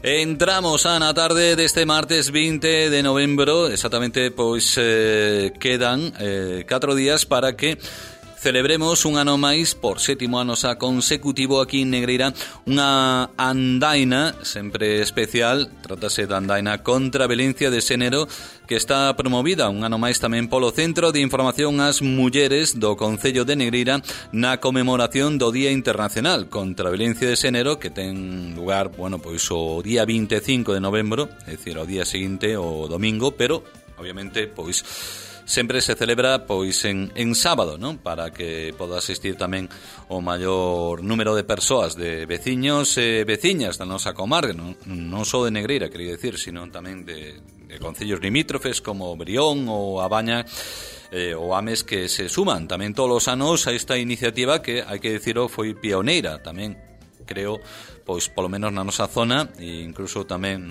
Entramos na tarde deste martes 20 de novembro. Exactamente, pois quedan 4 días para que celebremos un ano máis, por 7º ano xa consecutivo aquí en Negreira, unha andaina sempre especial. Trátase da andaina contra a violencia de xénero, que está promovida un ano máis tamén polo Centro de Información ás Mulleres do Concello de Negreira na conmemoración do Día Internacional contra a Violencia de Xénero, que ten lugar, pois o día 25 de novembro, é dicir, o día seguinte, o domingo, pero obviamente, pois sempre se celebra en sábado, ¿no? Para que poda asistir tamén o maior número de persoas, de veciños e veciñas da nosa comarca, non só de Negreira, quería decir, sino tamén de concellos limítrofes como Brión ou A Baña ou Ames, que se suman tamén todos os anos a esta iniciativa que, hai que dicirlo, foi pioneira tamén, creo, pois polo menos na nosa zona, e incluso tamén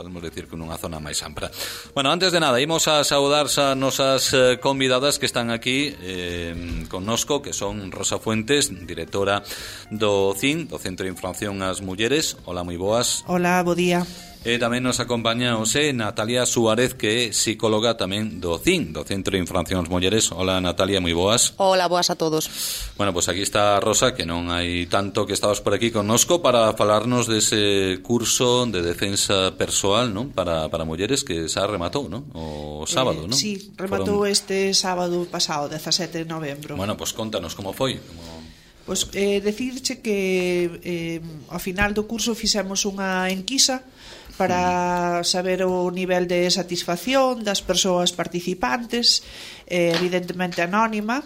podemos decir que nunha zona máis ampla. Bueno, antes de nada, imos a saudar as nosas convidadas que están aquí connosco, que son Rosa Fuentes, directora do CIN, do Centro de Información ás Mulleres. Hola, moi boas. Hola, bo día. E tamén nos acompaña Natalia Suárez, que é psicóloga tamén do CIN, do Centro de Información ás Mulleres. Hola, Natalia, moi boas. Hola, boas a todos. Bueno, pois aquí está Rosa, que non hai tanto que estabas por aquí connosco para falarnos dese curso de defensa persoal, non? Para mulleres que xa rematou, non? O sábado, non? Sí, rematou este sábado pasado, 17 de novembro. Bueno, pois contanos como foi. Pois decirche que ao final do curso fixemos unha enquisa para saber o nivel de satisfacción das persoas participantes, evidentemente anónima.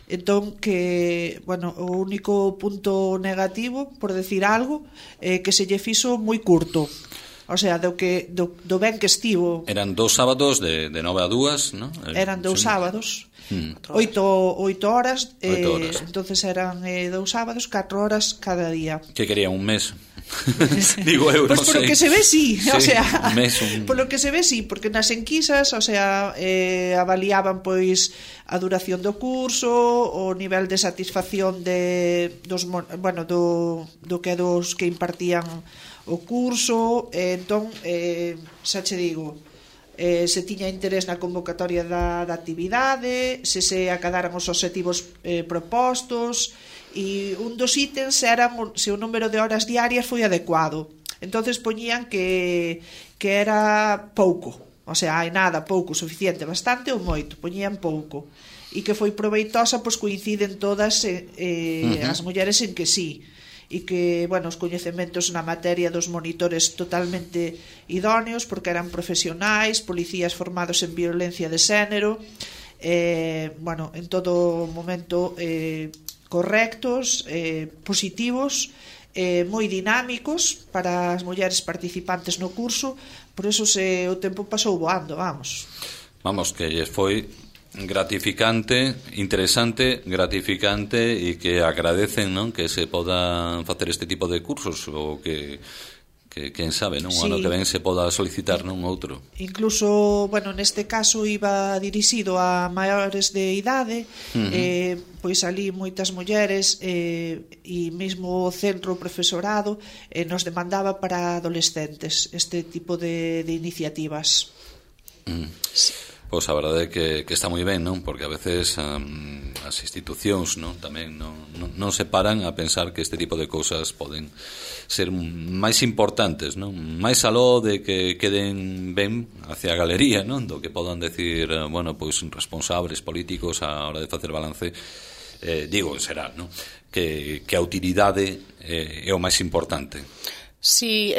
Entón, que, o único punto negativo, por decir algo, que se lle fixo moi curto. O sea, do ben que estivo. Eran 2 sábados de 9 a 2, non? Eran 2 sábados. 8 horas, entonces eran 2 sábados, 4 horas cada día. Que quería un mes? Digo eu, pues non sei. Por lo que se ve, sí. O sea, por lo que se ve, sí, porque nas enquisas, o sea, avaliaban pois a duración do curso, o nivel de satisfacción dos que impartían o curso, entón, xa che digo, se tiña interés na convocatoria da actividade, se acadaran os obxectivos propostos, e un dos ítems era se o número de horas diarias foi adecuado. Entonces poñían que era pouco, o sea, hai nada, pouco, suficiente, bastante ou moito, poñían pouco, e que foi proveitosa, pois coinciden todas as mulleres en que sí, e que, os coñecementos na materia dos monitores totalmente idóneos, porque eran profesionais, policías formados en violencia de xénero, en todo momento correctos, positivos, moi dinámicos para as mulleres participantes no curso. Por eso o tempo pasou voando, vamos. Vamos, que foi gratificante, interesante, gratificante, e que agradecen, non, que se podan facer este tipo de cursos, ou que quen sabe, non? O ano que ven se poda solicitar non outro. Incluso, neste caso iba dirixido a maiores de idade, pois ali moitas mulleres e mesmo o centro profesorado nos demandaba para adolescentes este tipo de iniciativas. Pois a verdade é que está moi ben, non? Porque a veces as institucións, non, tamén non se paran a pensar que este tipo de cousas poden ser máis importantes, non? Máis aló de que queden ben hacia a galería, non? Do que podan decir, pois responsables políticos a hora de facer balance, será, non? Que a utilidade é o máis importante. Sí,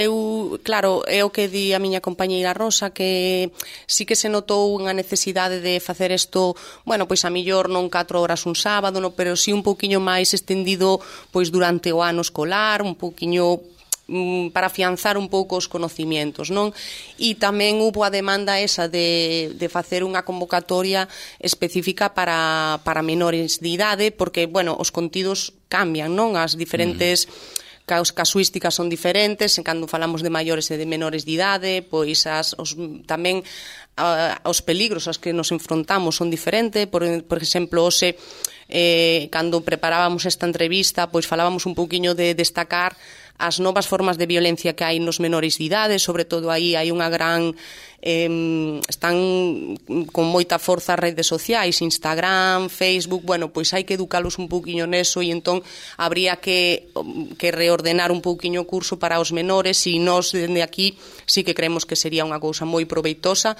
claro, é o que di a miña compañeira Rosa, que sí que se notou unha necesidade de facer isto, pois a millor non 4 horas un sábado, pero sí un pouquiño máis estendido pois durante o ano escolar, un pouquiño para afianzar un pouco os conocimientos, non? E tamén hubo a demanda esa de facer unha convocatoria específica para menores de idade, porque, os contidos cambian, non? As diferentes casuísticas son diferentes, en cando falamos de maiores e de menores de idade, pois tamén os peligros aos que nos enfrontamos son diferentes. Por exemplo, cando preparábamos esta entrevista, pois falábamos un pouquiño de destacar as novas formas de violencia que hai nos menores de idade, sobre todo aí hai unha gran... están con moita forza as redes sociais, Instagram, Facebook, bueno, pois hai que educalos un pouquiño neso e entón habría que reordenar un pouquiño o curso para os menores e nós dende aquí sí que creemos que sería unha cousa moi proveitosa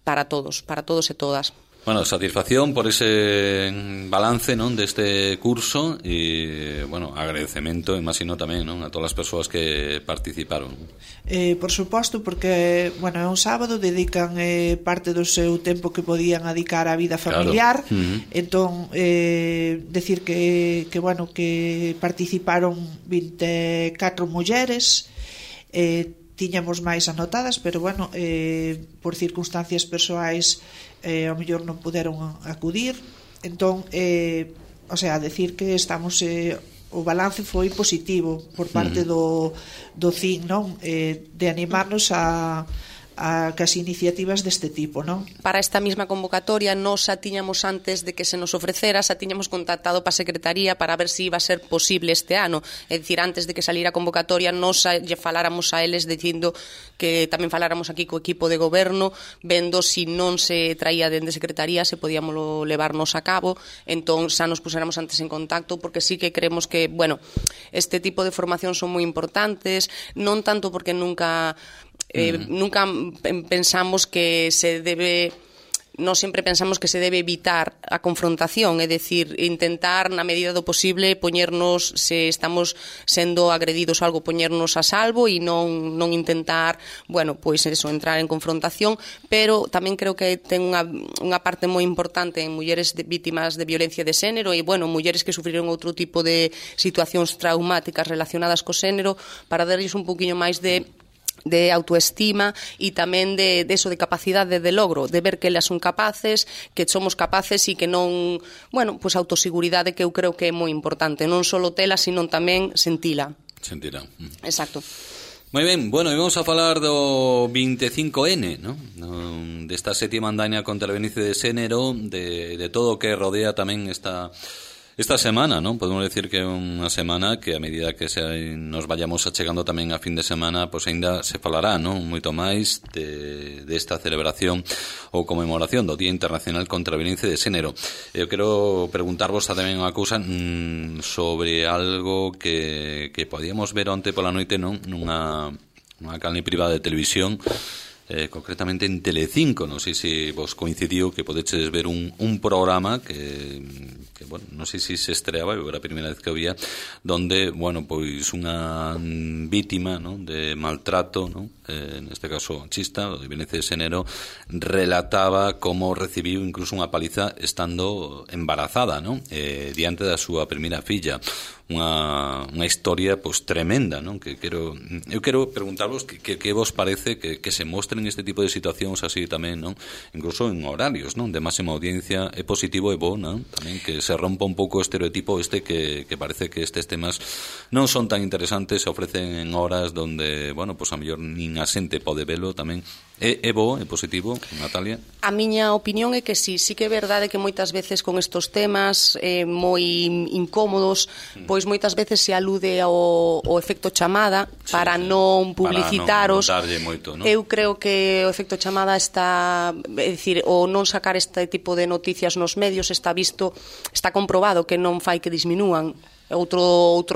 para todos e todas. Bueno, satisfacción por ese balance, non, deste curso e, bueno, agradecemento, imagino tamén, non, a todas as persoas que participaron. Por suposto, porque, bueno, é un sábado, dedican parte do seu tempo que podían dedicar á vida familiar, claro. Entón, decir que, bueno, que participaron 24 mulleres, tiñamos máis anotadas, pero, bueno, por circunstancias persoais ao mellor non puderon acudir, entón o sea, decir que estamos o balance foi positivo por parte do CIN, non? De animarnos a as iniciativas deste tipo, non? Para esta mesma convocatoria nos xa tiñamos antes de que se nos ofrecera, xa tiñamos contactado pa Secretaría para ver se iba a ser posible este ano, é dicir, antes de que salira a convocatoria nos lle faláramos a eles dicindo que tamén faláramos aquí co equipo de goberno, vendo se non se traía dende Secretaría se podíamos levarnos a cabo, entón xa nos puséramos antes en contacto, porque sí que creemos que, bueno, este tipo de formación son moi importantes, non tanto porque nunca pensamos que se debe... Nós sempre pensamos que se debe evitar a confrontación, é dicir, intentar na medida do posible poñernos, se estamos sendo agredidos algo, poñernos a salvo e non intentar, bueno, pois eso, entrar en confrontación, pero tamén creo que ten unha parte moi importante en mulleres vítimas de violencia de xénero e, bueno, mulleres que sufriron outro tipo de situacións traumáticas relacionadas co xénero, para darlles un poquinho máis de autoestima e tamén de eso, de capacidade de logro, de ver que elas son capaces, que somos capaces e que non, bueno, pois autoseguridade, que eu creo que é moi importante, non só tela, sino tamén sentila. Sentila. Exacto. Moi ben, bueno, e vamos a falar do 25N, ¿no? Desta sétima andaina contra a violencia de xénero, de todo o que rodea tamén esta semana, ¿no? Podemos decir que é unha semana que a medida que nos vayamos achegando tamén a fin de semana, pois aínda se falará, ¿no? Moito máis desta celebración ou conmemoración do Día Internacional contra a Violencia de Xénero. Eu quero preguntarvos tamén unha cousa sobre algo que podíamos ver onte pola noite, non? Nunha canle privada de televisión, concretamente en Telecinco, non sei se vos coincidiu que podeches ver un programa que bueno, non sei se estreaba, eu era a primeira vez que o vía, donde, bueno, pois unha vítima, ¿no?, de maltrato, ¿no?, neste caso machista, de violencia de xénero, relataba como recibiu incluso unha paliza estando embarazada, ¿no?, diante da súa primeira filla. Unha historia pois tremenda, non? Eu quero preguntarvos que vos parece que se mostren este tipo de situacións así tamén, non? Incluso en horarios, non? De máxima audiencia, é positivo e bo, non? Tamén que se rompa un pouco o estereotipo que parece que estes temas non son tan interesantes, se ofrecen en horas donde, bueno, pois a mellor nin a xente pode velo tamén. É bo, é positivo, Natalia? A miña opinión é que sí que é verdade que moitas veces con estos temas moi incómodos, pois moitas veces se alude ao efecto chamada para non publicitaros. Para non darlle moito, non? Eu creo que o efecto chamada está, é dicir, o non sacar este tipo de noticias nos medios está comprobado que non fai que disminúan. Outro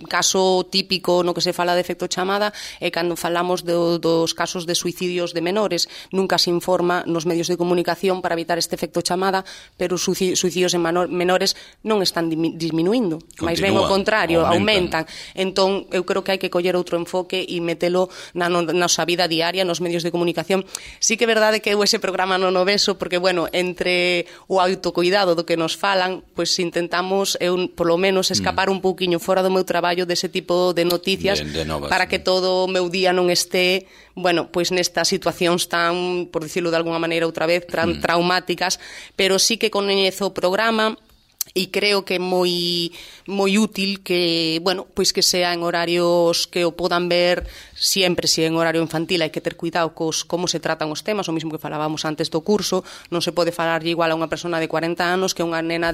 caso típico no que se fala de efecto chamada é cando falamos dos casos de suicidios de menores. Nunca se informa nos medios de comunicación para evitar este efecto chamada, pero os suicidios en menores non están disminuindo, máis ben ao contrario, aumentan. Entón, eu creo que hai que coller outro enfoque e metelo na nosa vida diaria nos medios de comunicación. Sí que é verdade que eu ese programa non o vexo porque, bueno, entre o autocuidado do que nos falan, pois intentamos, eu polo menos escapar un pouquiño fora do meu traballo dese tipo de noticias de novas, para que todo o meu día non este, bueno, pois nestas situacións tan, por dicirlo de alguna maneira outra vez, tan traumáticas, pero sí que coñezo o programa, e creo que é moi útil que, bueno, pois que sea en horarios que o podan ver sempre. Se en horario infantil hai que ter cuidado cos como se tratan os temas, o mismo que falábamos antes do curso, non se pode falar igual a unha persona de 40 anos que a unha nena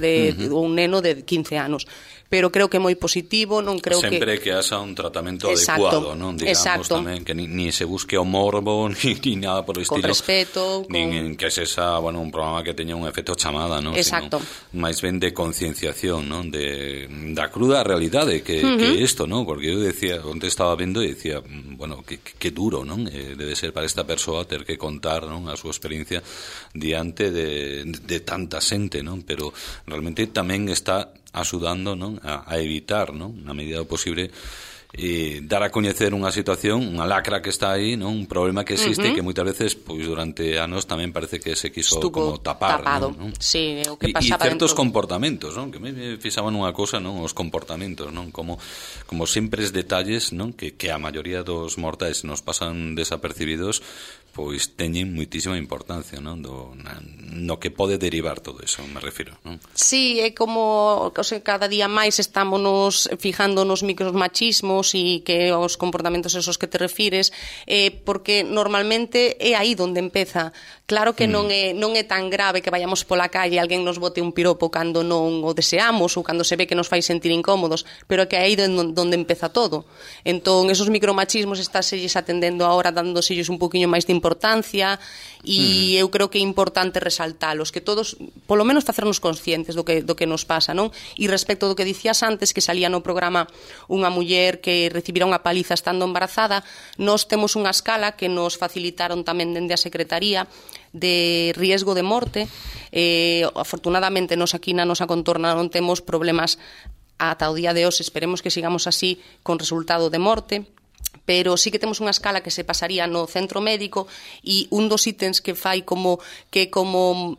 ou un neno de 15 anos, pero creo que é moi positivo, non creo sempre que haxa un tratamento adecuado, non? Digamos tamén que ni se busque o morbo ni nada por o estilo, con respeto, nin que se xa, bueno, un programa que teña un efecto chamada, non? Exacto. Sino máis ben de concienciación, non? Da cruda realidade que isto, non? Porque eu decía, onde estaba vendo e decía, bueno, que duro, non? Debe ser para esta persoa ter que contar, non? A súa experiencia diante de tanta xente, non? Pero realmente tamén está axudando, non? A evitar, non? Na medida do posible, dar a coñecer unha situación, unha lacra que está aí, non? Un problema que existe que moitas veces, pois durante anos tamén parece que se quiso como tapar, non? Sí, o que pasaba certos comportamentos, non? Que me fixaban unha cosa, non? Os comportamentos, non? Como simples detalles, non? Que a maioría dos mortais nos pasan desapercibidos, pois teñen moitísima importancia, non? No que pode derivar todo eso, me refiro, non? Sí, é como, o sea, cada día máis estámonos fijando nos micromachismos e que os comportamentos esos que te refires, porque normalmente é aí onde empeza. Claro que non é tan grave que vayamos pola calle e alguén nos bote un piropo cando non o deseamos ou cando se ve que nos fai sentir incómodos, pero que é aí onde empeza todo. Entón, esos micromachismos estáselles atendendo ahora, dándoselles un poquinho máis de importancia, e eu creo que é importante resaltalos, que todos, polo menos facernos conscientes do que nos pasa, non? E respecto do que dicías antes, que salía no programa unha muller que recibira unha paliza estando embarazada, nós temos unha escala que nos facilitaron tamén dende a Secretaría de riesgo de morte. Afortunadamente nos aquí na nosa contorna non temos problemas ata o día de hoxe, esperemos que sigamos así con resultado de morte, pero sí que temos unha escala que se pasaría no centro médico, e un dos ítems que fai como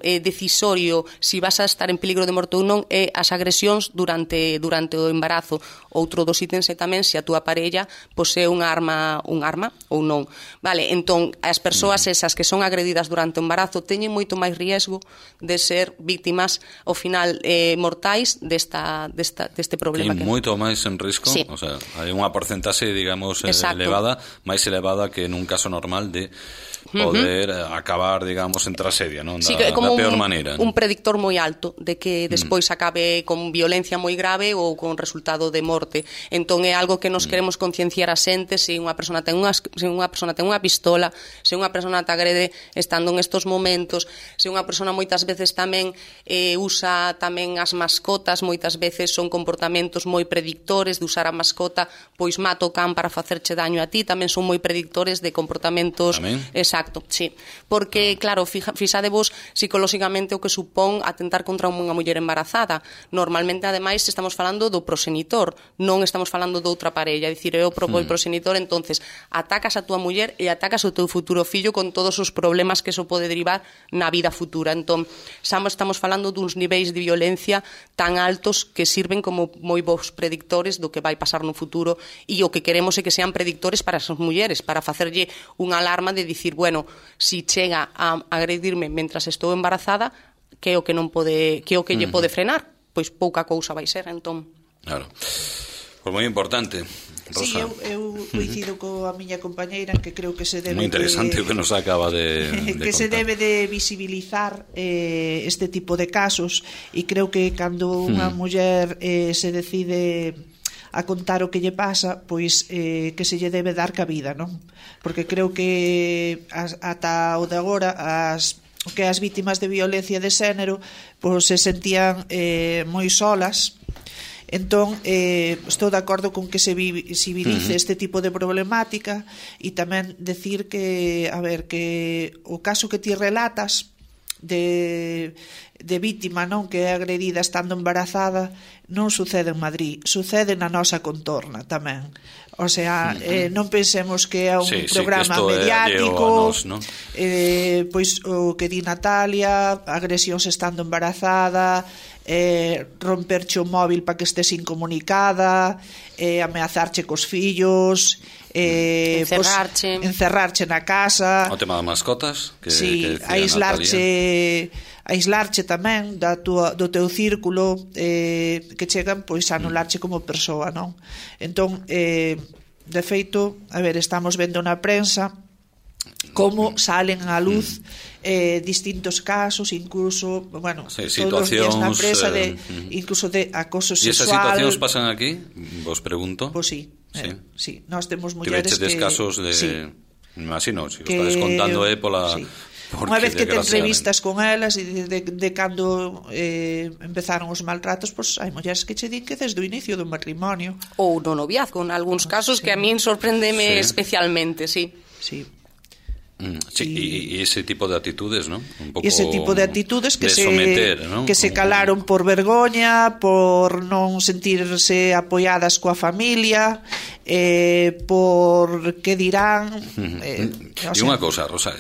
decisorio se vas a estar en peligro de morte ou non é as agresións durante o embarazo. Outro dos ítems é tamén se a túa parella posee un arma ou non. Vale, entón, as persoas esas que son agredidas durante o embarazo teñen moito máis riesgo de ser víctimas ao final mortais deste problema. Ten moito máis en risco, sí. O sea, hai unha porcentaxe, digamos, máis elevada que nun caso normal de poder acabar, digamos, en tragedia, non? Sí, que é como peor maneira, un predictor moi alto de que despois acabe con violencia moi grave ou con resultado de morte. Entón é algo que nos queremos concienciar a xente. Se unha persona ten unha pistola, se unha persona te agrede estando en estos momentos, se unha persona moitas veces tamén usa tamén as mascotas, moitas veces son comportamentos moi predictores de usar a mascota, pois mata o can para facerche daño a ti, tamén son moi predictores de comportamentos. Tamén? Exacto, sí. Porque, claro, fixadevos psicolóxicamente o que supón atentar contra unha muller embarazada. Normalmente, ademais, estamos falando do progenitor, non estamos falando de outra parella, é dicir, é o propio progenitor. Entonces, atacas a túa muller e atacas o teu futuro fillo con todos os problemas que eso pode derivar na vida futura. Entón, estamos falando duns niveis de violencia tan altos que sirven como moi bons predictores do que vai pasar no futuro, e o que queremos é que sean predictores para as mulleres, para facerlle unha alarma de dicir, bueno, si chega a agredirme mentras estou embarazada, que é o que non pode, que é o que lle pode frenar, pois pouca cousa vai ser, entón. Claro. Pois moi importante. Rosa. Sí, eu coincido coa miña compañeira en que creo que se debe moi interesante o que nos acaba de que contar. se debe de visibilizar este tipo de casos, e creo que cando unha muller se decide a contar o que lle pasa, pois que se lle debe dar cabida, non? Porque creo que ata o de agora as vítimas de violencia de xénero pois se sentían moi solas. Entón, estou de acordo con que se visibilice este tipo de problemática, e tamén decir que, a ver, que o caso que ti relatas de vítima, non, que é agredida estando embarazada, non sucede en Madrid, sucede na nosa contorna tamén. O sea, non pensemos que é un programa mediático, pois o que di Natalia, agresións estando embarazada, romperche o móvil para que estés incomunicada, ameazarche cos fillos, encerrarche na casa, o tema das mascotas que, sí, que aislarche tamén do teu círculo, que chegan pois a anularche como persoa, non? Entón, de feito, a ver, estamos vendo na prensa como salen á luz distintos casos, incluso, bueno, sí, todos os días na prensa incluso de acoso sexual. E esas situacións pasan aquí? Vos pregunto. Pois sí, sí, nós temos mulleres que casos de... Sí. Me imagino, se o estades contando pola... Sí. Unha vez que te entrevistas con elas e de cando empezaron os maltratos, pois hai mulleres que che din que desde o inicio do matrimonio ou do noviazgo, en algúns casos, que a min sorpréndeme especialmente, sí. Sí. Sí, y ese tipo de actitudes, ¿no? Un poco ese tipo de actitudes que someter, ¿no? Que se calaron por vergoña, por non sentirse apoiadas coa familia, por que dirán. E unha cousa, Rosa,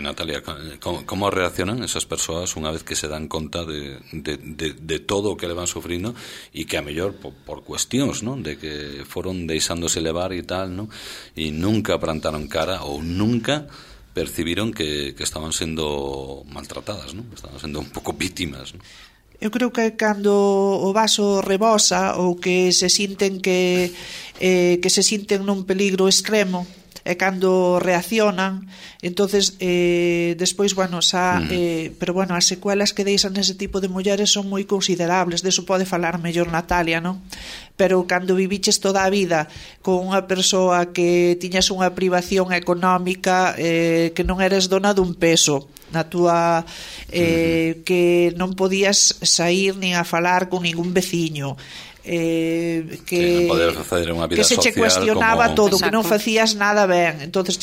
Natalia, como reaccionan esas persoas unha vez que se dan conta de todo o que le van sufrindo e que a mellor por cuestións, ¿no? De que foron deixándose levar e tal, ¿no? E nunca plantaron cara ou nunca percibiron que estaban sendo maltratadas, ¿no? Estaban sendo un pouco vítimas, ¿no? Eu creo que cando o vaso rebosa ou que se sinten que se sinten nun peligro extremo, é cando reaccionan, entonces despois, bueno, pero bueno, as secuelas que deixan ese tipo de mulleres son moi considerables, deso pode falar mellor Natalia, non? Pero cando viviches toda a vida con unha persoa que tiñas unha privación económica, que non eres dona dun peso na túa, que non podías sair nin a falar con ningún veciño, que se che cuestionaba todo, que non facías nada ben, entonces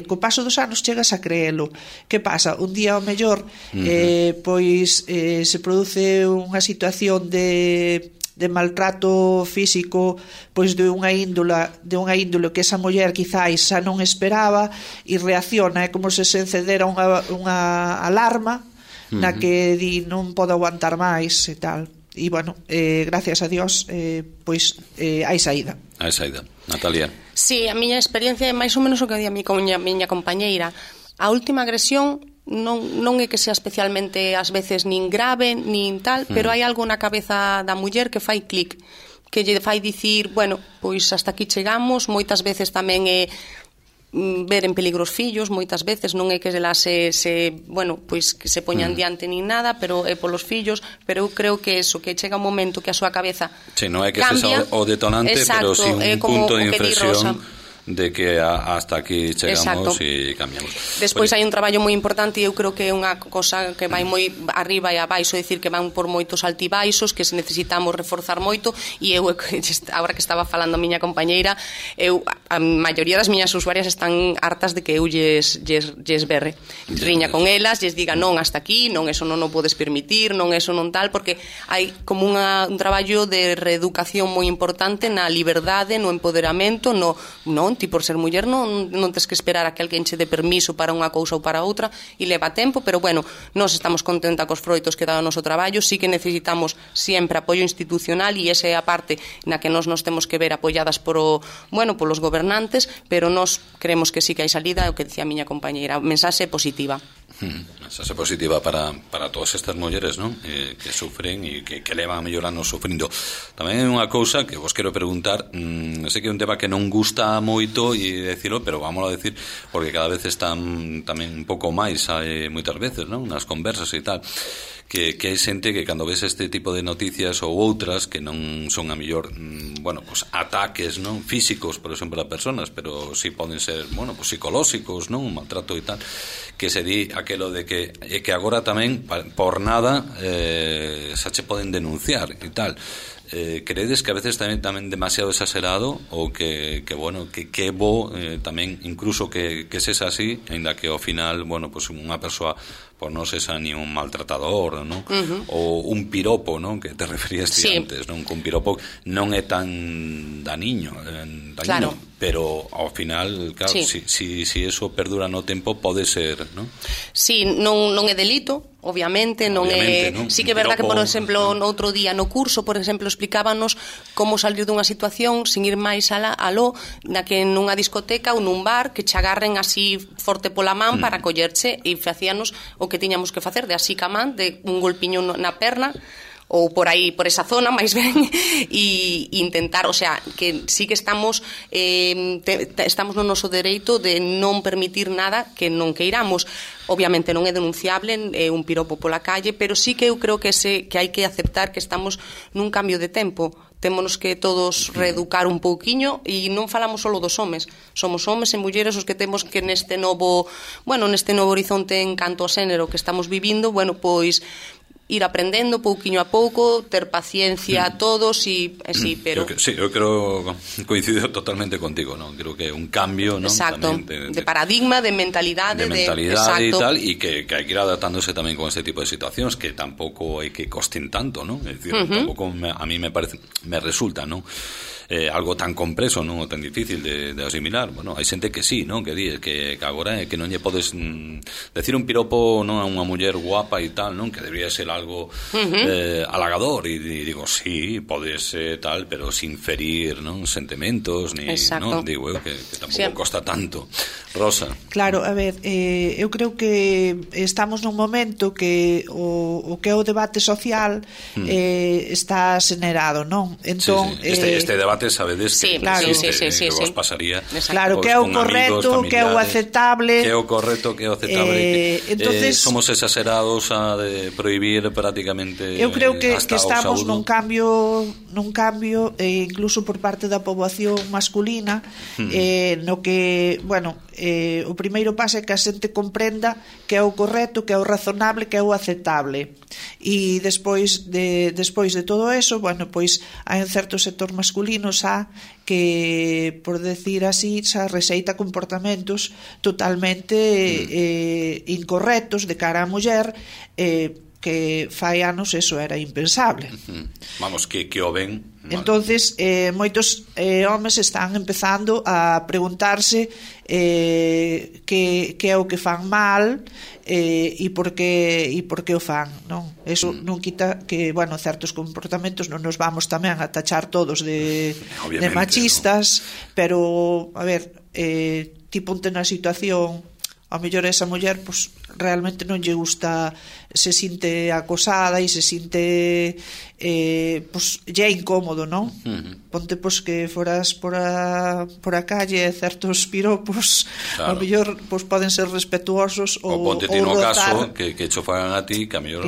co paso dos anos chegas a creelo. Que pasa? Un día ao mellor pois se produce unha situación de maltrato físico, pois de unha índole que esa muller quizáis xa non esperaba, e reacciona, é como se encendera unha alarma na que di non podo aguantar máis e tal. E, bueno, gracias a Dios, pois hai saída. Hai saída. Natalia. Sí, a miña experiencia é máis ou menos o que di a miña compañeira. A última agresión non é que sea especialmente ás veces nin grave, nin tal, pero hai algo na cabeza da muller que fai clic, que lle fai dicir, bueno, pois hasta aquí chegamos. Moitas veces tamén é ver en peligro os fillos, moitas veces non é que bueno, pois que se poñan diante nin nada, pero é polos fillos, pero eu creo que eso, que chega un momento que a súa cabeza non é que cambia, sexa o detonante, exacto, pero si un punto de inflexión de que hasta aquí chegamos e cambiamos. Despois hai un traballo moi importante e eu creo que é unha cosa que vai moi arriba e abaixo, dicir que van por moitos altibaixos, que se necesitamos reforzar moito, e eu, agora que estaba falando a miña compañeira, a maioría das miñas usuarias están hartas de que eu lles berre, riña con elas, lles diga non, hasta aquí, non, eso non o podes permitir, non, eso non tal, porque hai como un traballo de reeducación moi importante na liberdade, no empoderamento, non, ti por ser muller non tes que esperar a que alguén che dé permiso para unha cousa ou para outra, e leva tempo, pero bueno, nós estamos contenta cos froitos que dá o noso traballo. Sí que necesitamos sempre apoio institucional, e esa é a parte na que nos temos que ver apoiadas polos gobernantes, pero nós creemos que sí que hai salida, o que dicía a miña compañeira, mensaxe positiva. Mensaxe positiva para todas estas mulleres, non? Que sufren e que levan a mellor anos sufrindo. Tamén é unha cousa que vos quero preguntar, sei que é un tema que non gusta moito e decirlo, pero vámoslo a decir porque cada vez están tamén un pouco máis moitas veces, non? Nas conversas e tal, que hai xente que cando ves este tipo de noticias ou outras que non son a mellor, pues ataques, non? Físicos, por exemplo, a personas, pero si poden ser, pues psicolóxicos, non? Un maltrato e tal, que se di aquelo de que agora tamén por nada xa che poden denunciar e tal. Credes que a veces tamén demasiado exagerado, ou que é bo tamén incluso que sexa así, ainda que ao final, pues unha persoa non sexa ni un maltratador, non? Ou un piropo, non? Que te referías antes, non? Que un piropo non é tan daniño, claro. pero ao final, claro, si eso perdura no tempo, pode ser, non? Sí, non é delito, obviamente, non é... Non? Sí que é verdad que, por exemplo, no outro día no curso, por exemplo, explicábanos como salir dunha situación sin ir máis aló, na que nunha discoteca ou nun bar que che agarren así forte pola man para collerche, e facíanos o que tiñamos que facer, de así ca man, de un golpiño na perna, ou por aí, por esa zona, máis ben, e intentar, o sea, que sí que estamos estamos no noso dereito de non permitir nada que non queiramos. Obviamente non é denunciable un piropo pola calle, pero sí que eu creo que hai que aceptar que estamos nun cambio de tempo. Témonos que todos reeducar un pouquiño, e non falamos só dos homes, somos homes e mulleres os que temos que neste novo horizonte en canto ao xénero que estamos vivindo, pois ir aprendendo pouquiño a pouco, ter paciencia a todos pero... Eu creo, coincido totalmente contigo, ¿no? Creo que un cambio, ¿no? Exacto, de paradigma, de mentalidade, e tal, e que hai que ir adaptándose tamén con este tipo de situacións, que tampouco hai que costen tanto, ¿no? Es decir, tampouco a mí me resulta, ¿no? Algo tan compreso, non, tan difícil de asimilar. Bueno, hai xente que sí, non, que di que agora que non lle podes decir un piropo, non, a unha muller guapa e tal, non, que debería ser algo halagador, e digo, sí, podes tal, pero sin ferir, non, sentimentos, ni, non, digo eu que tampouco costa tanto. Rosa. Claro, a ver, eu creo que estamos nun momento que o que é o debate social está xenerado, non? Entón, este debate sabedes que vos pasaría, claro, que é o correcto, que é o aceptable, que é o correcto, que é o aceptable, entonces somos exagerados a de prohibir prácticamente. Eu creo que estamos nun cambio incluso por parte da poboación masculina, no que, bueno, o primeiro paso é que a xente comprenda que é o correcto, que é o razonable, que é o aceptable, e despois de todo eso, bueno, pois hai un certo sector masculino xa que, por decir así, xa receita comportamentos totalmente incorrectos de cara á muller, que fai anos eso era impensable. Vamos, que o ven. Entonces, moitos homes están empezando a preguntarse que é o que fan mal, e por que o fan, non? Eso non quita que, bueno, certos comportamentos non nos vamos tamén a tachar todos de machistas, ¿no? Pero, a ver, ti ponte na situación, ao mellor esa muller, pois, realmente non lle gusta, se sinte acosada e se sinte pois lle é incómodo, non? Ponte pois que foras por a calle, certos piropos, ao mellor pois poden ser respetuosos ou ponte ti no caso que cho fagan a ti, que a mellor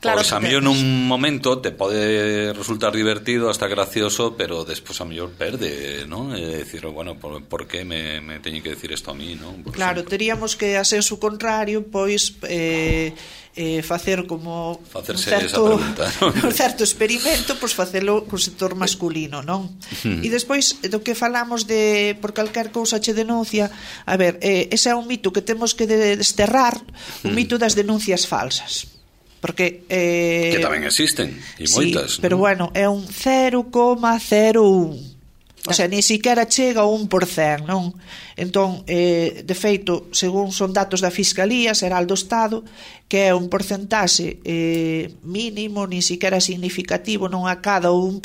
pois a mellor nun momento te pode resultar divertido, hasta gracioso, pero despois a mellor perde, non? É dicir, bueno, por que me teñen que decir isto a mí, non? Claro, teríamos que a senso contrario, pois facer como un certo experimento, pois facelo co sector masculino, non? E despois do que falamos de por calquer cousa che denuncia, a ver, ese é un mito que temos que desterrar, o mito das denuncias falsas. Porque que tamén existen, e moitas, pero bueno, é un 0,01. O sea, ni siquiera chega ao 1%, non? Entón, de feito, según son datos da Fiscalía Xeral do Estado, que é un porcentaxe mínimo, ni siquiera significativo, non acada o 1%,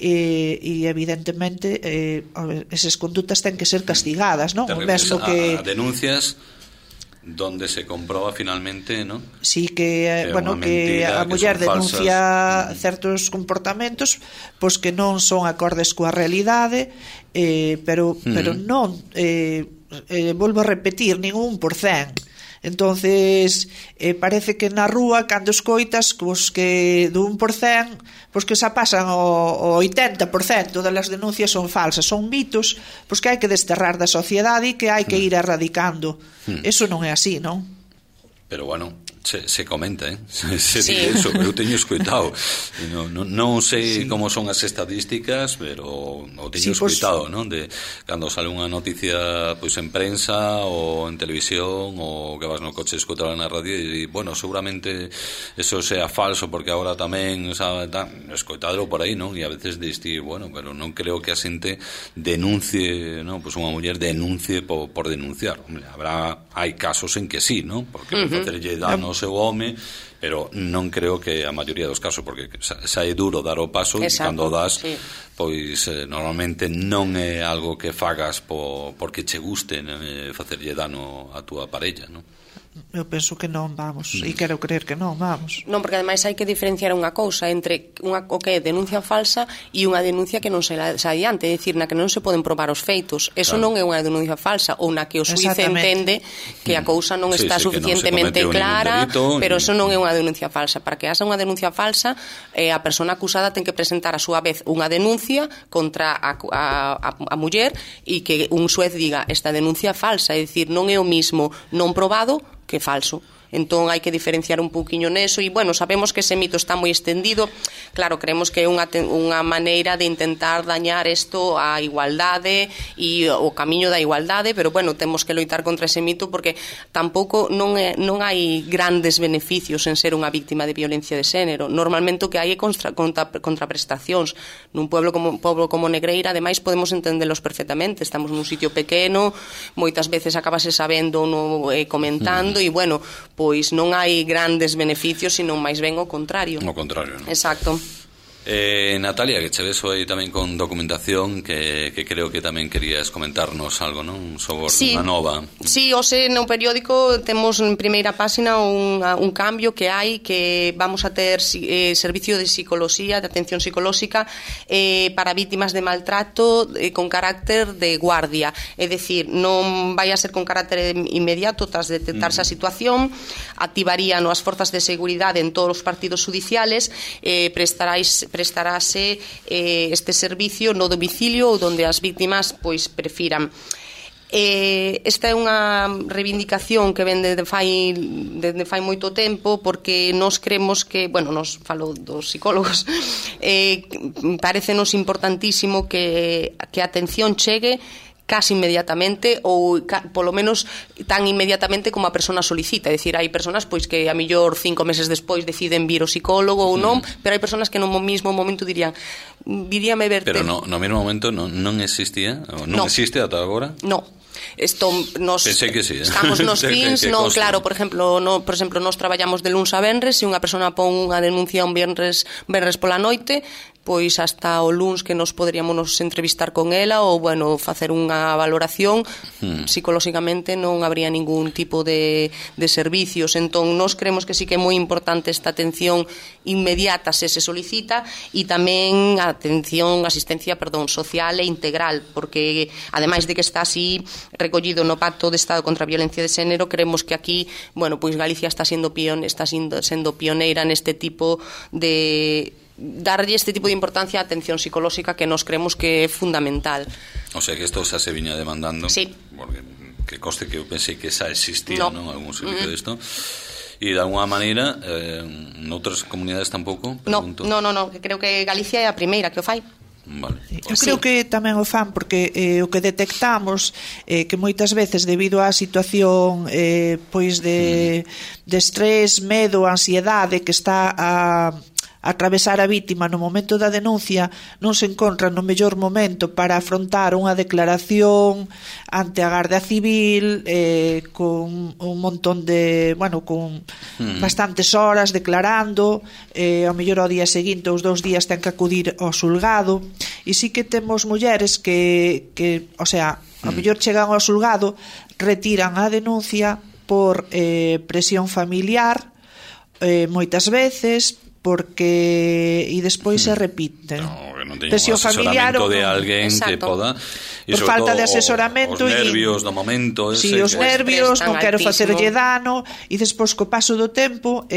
e evidentemente esas condutas ten que ser castigadas, non? O mesmo que a denuncias donde se comproba finalmente, ¿no? Sí, que bueno, que a muller denuncia certos comportamentos pois que non son acordes coa realidade, pero non volvo a repetir, nin 1%. Entonces parece que na rúa cando escoitas pois que do 1% pois que xa pasan o 80% das denuncias son falsas, son mitos pois que hai que desterrar da sociedade e que hai que ir erradicando. Eso non é así, non? Pero bueno, Se comenta, se sí. Dice eso, eu teño escoitado. Non sei como son as estadísticas, pero o teño escoitado, non? De cando sale unha noticia pois en prensa ou en televisión ou que vas no coche escoitala na radio e, bueno, seguramente eso sea falso porque agora tamén, escoitadlo por aí, non? E a veces diste, bueno, pero non creo que a xente denuncie, non? Pois unha muller denuncie por denunciar. Hombre, hai casos en que sí, non? Porque facerlle dano seu home, pero non creo que a maioría dos casos, porque xa é duro dar o paso. Exacto, e cando das, sí. Pois normalmente non é algo que fagas porque che guste facerlle dano a túa parella, non? Eu penso que non, vamos, e quero creer que non, vamos. Non, porque ademais hai que diferenciar unha cousa entre o que é denuncia falsa e unha denuncia que non se adiante, é dicir, na que non se poden probar os feitos. Eso non é unha denuncia falsa, ou na que o xuíz entende que a cousa non está suficientemente clara, pero eso non é unha denuncia falsa. Para que haxa unha denuncia falsa, a persona acusada ten que presentar a súa vez unha denuncia contra a muller e que un xuez diga esta denuncia é falsa, é dicir, non é o mismo non probado que falso. Entón hai que diferenciar un pouquiño neso e, bueno, sabemos que ese mito está moi extendido. Claro, creemos que é unha maneira de intentar dañar isto a igualdade e o camiño da igualdade, pero, bueno, temos que loitar contra ese mito porque tampouco non hai grandes beneficios en ser unha víctima de violencia de xénero. Normalmente o que hai é contraprestacións. Nun pueblo como Negreira, ademais, podemos entendelos perfectamente. Estamos nun sitio pequeno, moitas veces acabase sabendo comentando e, bueno, pois non hai grandes beneficios, sino máis ben o contrario. O contrario, non? Exacto. Natalia, que che ves aí tamén con documentación que creo que tamén querías comentarnos algo, non? Sobre unha nova. Sí, hoxe no periódico temos en primeira páxina un cambio que hai, que vamos a ter servicio de psicología, de atención psicolóxica para vítimas de maltrato con carácter de guardia, é dicir, non vai a ser con carácter inmediato tras detectarse a situación, activarían as forzas de seguridade en todos os partidos judiciales, prestarase este servicio no domicilio ou donde as vítimas pois prefiran. Esta é unha reivindicación que ven desde fai moito tempo, porque nós creemos que, bueno, nos falo dos psicólogos, parecenos importantísimo que a atención chegue casi inmediatamente ou polo menos tan inmediatamente como a persona solicita. É dicir, hai personas pois que a mellor 5 meses despois deciden vir ao psicólogo ou non, pero hai personas que no mesmo momento dirían viríame verte. Pero no mesmo momento non existía, non existe ata agora? Non. Pensei que sí, estamos nos fins, non, claro, por exemplo, nós traballamos de luns a venres, se unha persona pon unha denuncia un venres pola noite, pois hasta o luns que nos poderíamos entrevistar con ela ou, bueno, facer unha valoración, psicolóxicamente non habría ningún tipo de servicios. Entón, nós creemos que sí que é moi importante esta atención inmediata se solicita e tamén a asistencia social e integral, porque ademais de que está así recollido no Pacto de Estado contra a Violencia de Xénero, creemos que aquí, bueno, pois Galicia está sendo pioneira neste tipo de darlle este tipo de importancia á atención psicolóxica, que nos creemos que é fundamental. O sea que isto xa se viña demandando. Sí. Porque que coste que eu pensei que xa existía, non? Algún servicio disto. E de alguna maneira noutras comunidades tampouco? Non, que creo que Galicia é a primeira que o fai. Vale. Eu creo que tamén o fan porque o que detectamos que moitas veces debido á situación pois de estrés, medo, ansiedade que está a atravesar a vítima no momento da denuncia, non se encontra no mellor momento para afrontar unha declaración ante a Garda Civil con un montón de, bueno, con bastantes horas declarando, ao mellor ao día seguinte, os 2 días ten que acudir ao xulgado, e sí que temos mulleres que o sea, ao mellor chegan ao xulgado, retiran a denuncia por presión familiar, moitas veces, porque e despois se repiten. Non teño un asesoramento de alguén que poda, por falta de asesoramento, os nervios do momento, os nervios, non quero facerlle dano, e despois co paso do tempo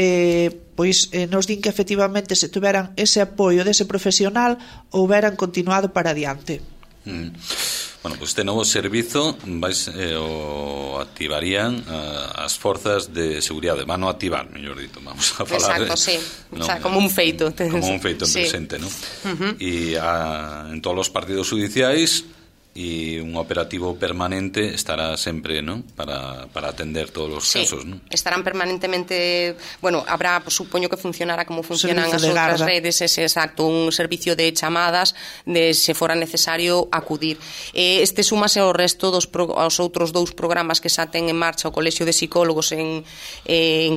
pois nos din que efectivamente se tuveran ese apoio dese profesional houberan continuado para adiante. Bueno, pues este novo servizo o activarían as forzas de seguridade. Van a activar, mellor dito, vamos a falar. Exacto, sí. O sea, como un feito. Como un feito en presente, ¿no? E en todos os partidos judiciais e un operativo permanente estará sempre, ¿no? Para atender todos os casos, ¿no? Estarán permanentemente, bueno, habrá, pues, supoño que funcionará como funcionan as outras redes, exacto, un servicio de chamadas de se fora necesario acudir. Este súmase ao resto aos outros 2 programas que xa ten en marcha o Colexio de Psicólogos en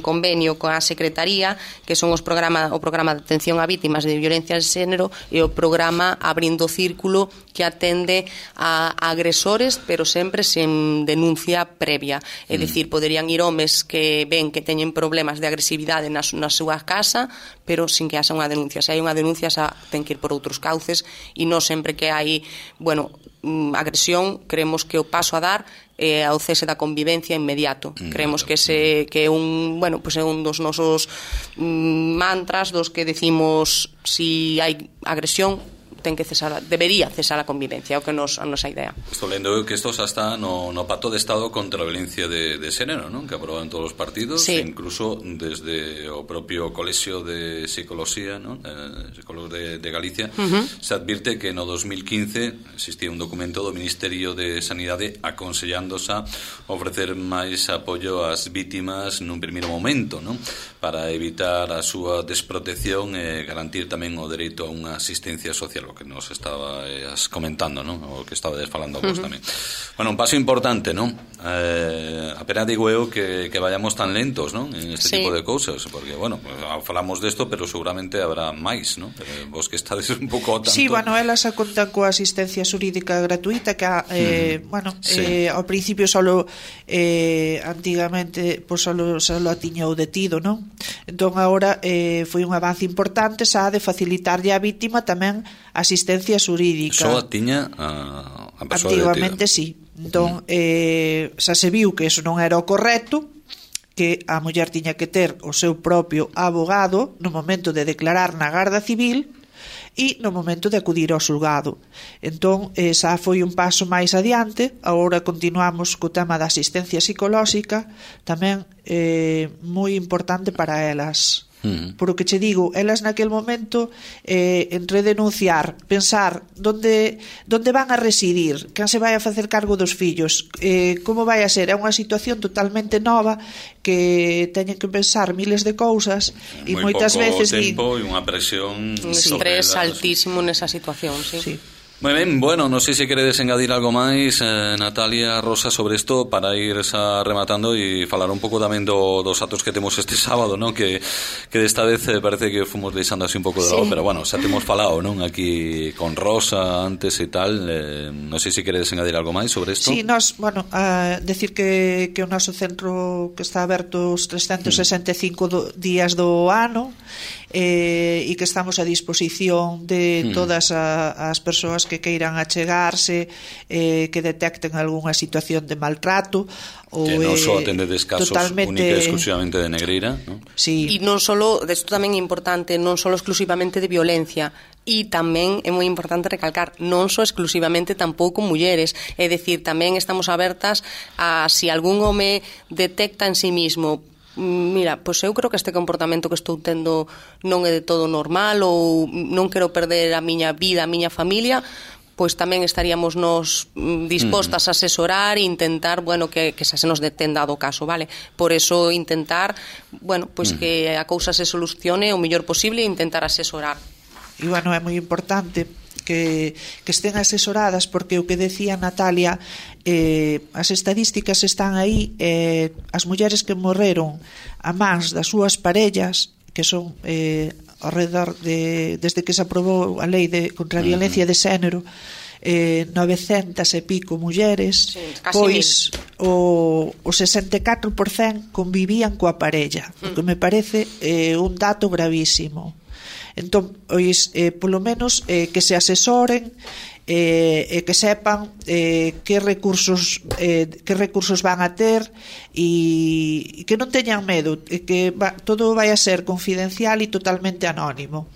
convenio coa Secretaría, que son o programa de atención a vítimas de violencia de xénero e o programa Abrindo Círculo, que atende a agresores, pero sempre sen denuncia previa. É dicir, poderían ir homes que ven que teñen problemas de agresividade na súa casa, pero sin que haxa unha denuncia. Se hai unha denuncia, xa ten que ir por outros cauces, e non sempre que hai, bueno, agresión, creemos que o paso a dar é ao cese da convivencia inmediato. Creemos que é un, bueno, pues é un dos nosos mantras dos que decimos, si hai agresión, debería cesar a convivencia, o que a nosa idea. Estou lendo que isto xa está no Pacto de Estado contra a violencia de xénero, ¿no? Que aproban todos os partidos, sí. Incluso desde o propio Colexio de Psicología, ¿no? Psicólogos de Galicia, se advirte que no 2015 existía un documento do Ministerio de Sanidade aconsellándose a ofrecer máis apoio ás vítimas nun primeiro momento, ¿no? Para evitar a súa desprotección e garantir tamén o dereito a unha asistencia social, que nos estabas comentando, ¿no? O que estabas falando vos tamén. Bueno, un paso importante, ¿no? Apenas digo eu que vayamos tan lentos, ¿no? En este tipo de cousas, porque, bueno, pues, falamos desto, pero seguramente habrá máis, ¿no? Vos que estades un pouco tanto... Sí, bueno, elas a contan coa asistencia xurídica gratuita que, bueno, ao principio solo antigamente pues, solo a tiña o detido, ¿no? Entón agora foi un avance importante xa de facilitarlle á víctima tamén asistencia xurídica. Só a tiña a persoa antigamente detida. Sí. Entón xa se viu que eso non era o correcto, que a muller tiña que ter o seu propio abogado no momento de declarar na Garda Civil e no momento de acudir ao xulgado. Entón, xa foi un paso máis adiante. Agora continuamos co tema da asistencia psicolóxica, tamén moi importante para elas. Por o que che digo, elas naquel momento entre denunciar, pensar onde van a residir, quen se vai a facer cargo dos fillos, como vai a ser, é unha situación totalmente nova que teñen que pensar miles de cousas e moitas veces tempo e unha presión, un estrés altísimo nesa situación, sí. Moi ben, bueno, non sei se queredes engadir algo máis, Natalia, Rosa, sobre isto para ir xa rematando e falar un pouco tamén dos atos que temos este sábado, non? Que desta vez parece que fomos deixando así un pouco de lado, pero bueno, xa temos falado, non? Aquí con Rosa antes e tal, non sei se queredes engadir algo máis sobre isto. Sí, nos, bueno, decir que o noso centro que está aberto os 365 días do ano, e que estamos a disposición de todas as persoas que queiran achegarse, que detecten algunha situación de maltrato, ou que non só atendedes casos única e exclusivamente de Negreira, ¿no? Sí. E non só, isto tamén é importante, non só exclusivamente de violencia, e tamén é moi importante recalcar, non só exclusivamente tampouco mulleres, é dicir, tamén estamos abertas a si algún home detecta en sí mismo, mira, pois eu creo que este comportamento que estou tendo non é de todo normal, ou non quero perder a miña vida, a miña familia, pois tamén estaríamos nos dispostas a asesorar e intentar, bueno, que xa se nos ten dado o caso, vale? Por eso intentar, bueno, pois que a cousa se solucione o mellor posible e intentar asesorar. E, bueno, é moi importante que estén asesoradas, porque o que decía Natalia, as estadísticas están aí, as mulleres que morreron a mans das súas parellas, que son ao redor desde que se aprobou a lei contra a violencia de xénero, 900 e pico mulleres, sí, pois o 64% convivían coa parella, o que me parece un dato gravísimo. Entón, pois, polo menos que se asesoren e que sepan que recursos van a ter e que non teñan medo, que todo vai a ser confidencial e totalmente anónimo.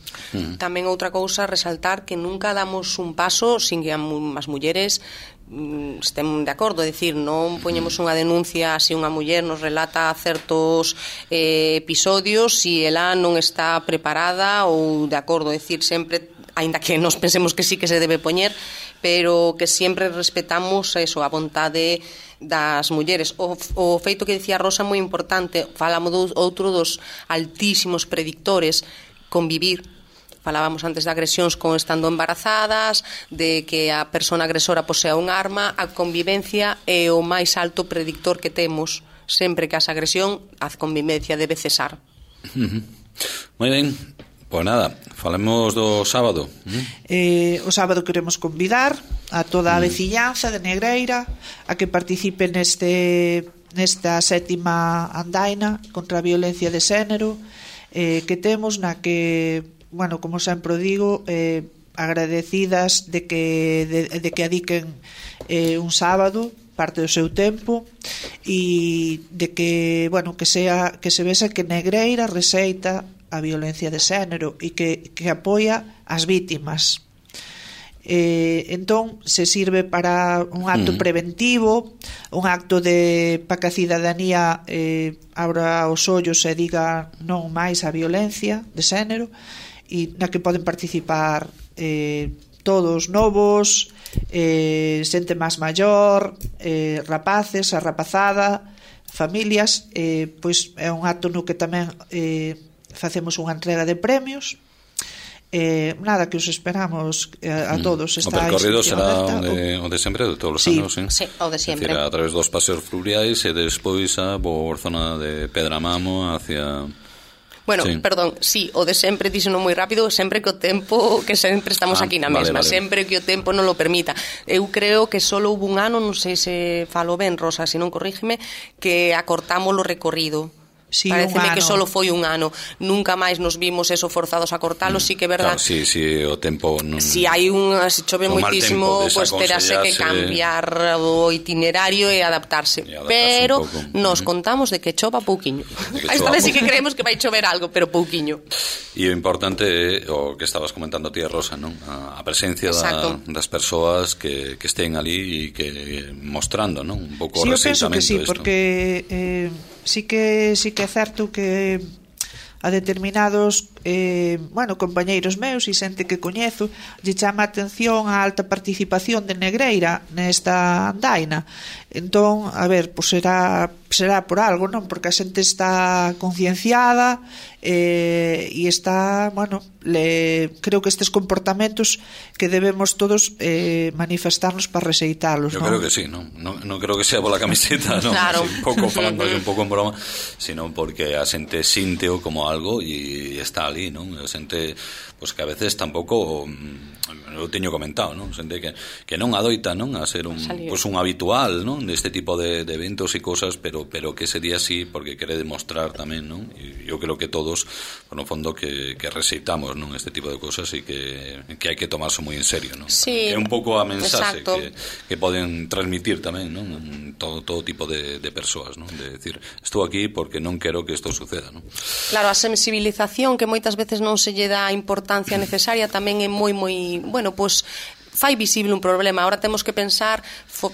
Tamén outra cousa, resaltar que nunca damos un paso sin que as mulleres estén de acordo, é dicir, non poñemos unha denuncia se unha muller nos relata certos episodios se ela non está preparada ou de acordo, é dicir, sempre, aínda que nos pensemos que sí que se debe poñer, pero que sempre respetamos eso, a vontade das mulleres. O feito que dicía Rosa moi importante, falamos outro dos altísimos predictores, convivir. Falábamos antes de agresións con estando embarazadas, de que a persona agresora posea un arma, a convivencia é o máis alto predictor que temos. Sempre que as agresión, a convivencia debe cesar. Moi ben, pois nada, falemos do sábado. O sábado queremos convidar a toda a veciñanza de Negreira a que participe nesta 7ª andaina contra a violencia de xénero que temos, na que, bueno, como sempre digo, agradecidas de que adiquen un sábado parte do seu tempo e de que, bueno, que se vexa que Negreira rexeita a violencia de xénero e que apoia as vítimas. Entón, se sirve para un acto preventivo, un acto para que a cidadanía abra os ollos e diga non máis a violencia de xénero, e na que poden participar todos novos, xente máis maior, rapaces, a rapazada, familias. Pois é un acto no que tamén facemos unha entrega de premios. Nada, que os esperamos a todos. O percorrido será o de sempre, de todos os anos, sí, o de sempre, a través dos paseos fluviais e despois por zona de Pedramamo hacia... Bueno, sí. Perdón, sí, o de sempre, díxeno moi rápido, sempre que o tempo, que sempre estamos aquí na mesma, vale. Sempre que o tempo non lo permita. Eu creo que só houve un ano, non sei se falo ben, Rosa, se non corrígeme, que acortamos o recorrido. Sí, pareceme que só foi un ano. Nunca máis nos vimos eso forzados a cortalo, sí que é verdad. Claro, sí, o tempo non... Si hai se chove moitísimo, pois terase que cambiar o itinerario e adaptarse. Pero nos contamos de que chova pouquiño. Esta vez sí que creemos que vai chover algo, pero pouquiño. E o importante é o que estabas comentando ti, Rosa, non? A presencia das persoas que estén ali e que mostrando, non? Un pouco o reseitamento. Sí, eu penso que sí, porque sí que é certo que a determinados compañeiros meus e xente que coñezo lle chama a atención a alta participación de Negreira nesta andaina. Entón, a ver, pois será por algo, non? Porque a xente está concienciada e está, bueno, creo que estes comportamentos que debemos todos manifestarnos para rexeitalos. Eu creo que sí, non creo que sea pola camiseta, non? Claro. Un pouco falando un pouco en broma, sino porque a xente sínteo como algo e está ali, non? A xente, pois que a veces tampouco, eu teño comentado, non? Xente que non adoita, non, a ser un habitual, non, deste tipo de eventos e cosas, pero que ese día sí, porque quere demostrar tamén, non? E eu creo que todos, por no fondo, que rexeitamos, non, este tipo de cosas e que hai que tomarse moi en serio, non? Sí, é un pouco a mensaxe que poden transmitir tamén, non? Todo tipo de persoas, non? De decir, estou aquí porque non quero que isto suceda, non? Claro, a sensibilización que moitas veces non se lle dá a importancia necesaria tamén é moi, bueno, pois fai visible un problema. Ahora temos que pensar,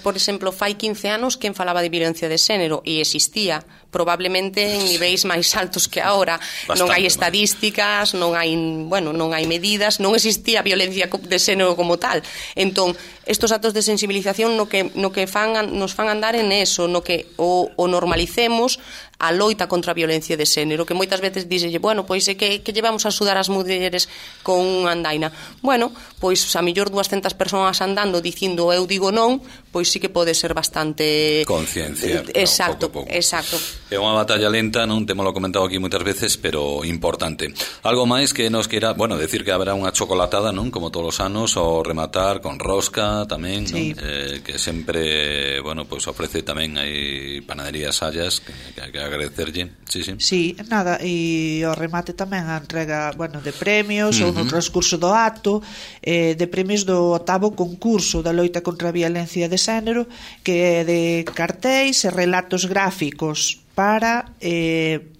por exemplo, fai 15 anos quen falaba de violencia de xénero e existía, probablemente en niveis máis altos que agora. Bastante, non hai estadísticas, non hai medidas, non existía violencia de xénero como tal. Entón, estos actos de sensibilización nos fan andar en eso, no que o normalicemos a loita contra a violencia de xénero, que moitas veces díxelle, bueno, pois é que llevamos a axudar as mulleres con unha andaina. Bueno, pois a mellor 200 persoas andando dicindo eu digo non, pois sí que pode ser bastante conciencia. Exacto, pouco. Exacto. É unha batalla lenta, non? Témolo comentado aquí moitas veces, pero importante. Algo máis que nos queira, bueno, decir que haberá unha chocolatada, non? Como todos os anos, ou rematar con rosca tamén, sí. Non? Que sempre, bueno, pues ofrece tamén aí panaderías Sallas, que hai que agradecerlle. Sí, sí. Sí, nada, e ao remate tamén a entrega, bueno, de premios ou no transcurso do acto, de premios do 8º concurso da loita contra a violencia de xénero, que é de cartéis e relatos gráficos para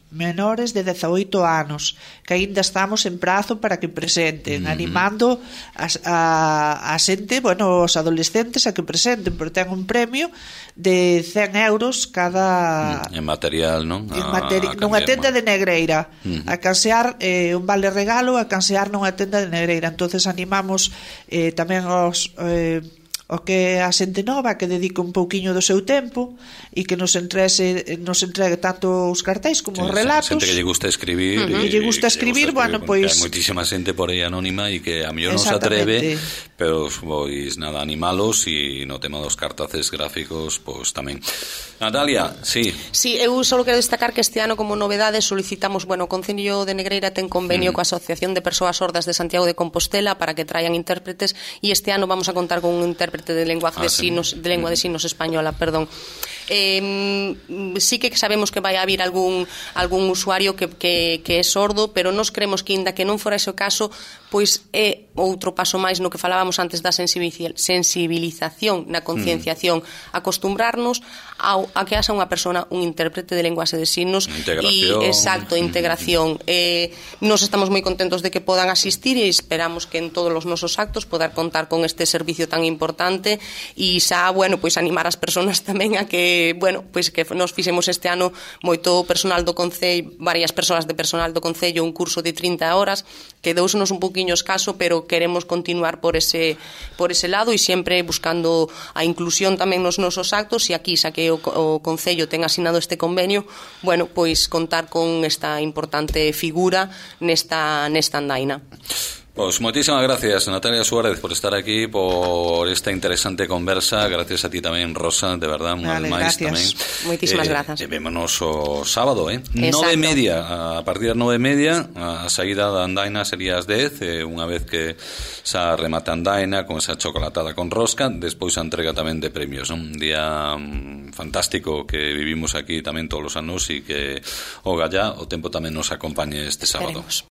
menores de 18 anos, que aínda estamos en prazo para que presenten, animando a xente, bueno, os adolescentes a que presenten, porque ten un premio de 100 euros cada... En material, non? Nunha tenda de Negreira, a cansear un vale regalo, a cansear nunha tenda de Negreira. Entonces animamos tamén os... o que a xente nova que dedica un pouquiño do seu tempo e que nos entregue tanto os cartéis como os relatos. Xente que lle gusta escribir, que lle gusta escribir, bueno, pois hai moitísima xente por aí anónima e que a mellor non se atreve, pero pois nada, animalos e no tema dos cartaces gráficos, pois tamén. Natalia, sí. Sí, eu só quero destacar que este ano como novedade solicitamos, bueno, o Concello de Negreira ten convenio coa Asociación de Persoas Sordas de Santiago de Compostela para que traian intérpretes e este ano vamos a contar con un intérprete de lengua de signos, de lengua de signos española, perdón. Sí que sabemos que vai haber algún usuario que é sordo, pero nos creemos que ainda que non fora ese o caso, pois é outro paso máis no que falábamos antes da sensibilización, na concienciación, acostumbrarnos a que haxa unha persona, un intérprete de lenguaxe de signos, integración. Nos estamos moi contentos de que podan asistir e esperamos que en todos os nosos actos poder contar con este servicio tan importante e xa, bueno, pois animar as persoas tamén a que, bueno, pois que nos fixemos este ano moito personal do Concello, varias persoas de personal do Concello, un curso de 30 horas, quedousenos un poquinho escaso, pero queremos continuar por ese lado e sempre buscando a inclusión tamén nos nosos actos e aquí, xa que o Concello ten asinado este convenio, bueno, pois contar con esta importante figura nesta andaina. Pues moitísimas gracias, Natalia Suárez, por estar aquí, por esta interesante conversa. Gracias a ti tamén, Rosa, de verdad, vale, máis tamén. Moitísimas grazas. Vémonos o sábado, 9:30, a partir das 9:30, a saída da andaina sería as 10, unha vez que xa remata a andaina con esa chocolatada con rosca, despois a entrega tamén de premios, non? Un día fantástico que vivimos aquí tamén todos os anos e que o gallá o tempo tamén nos acompañe este sábado. Esperemos.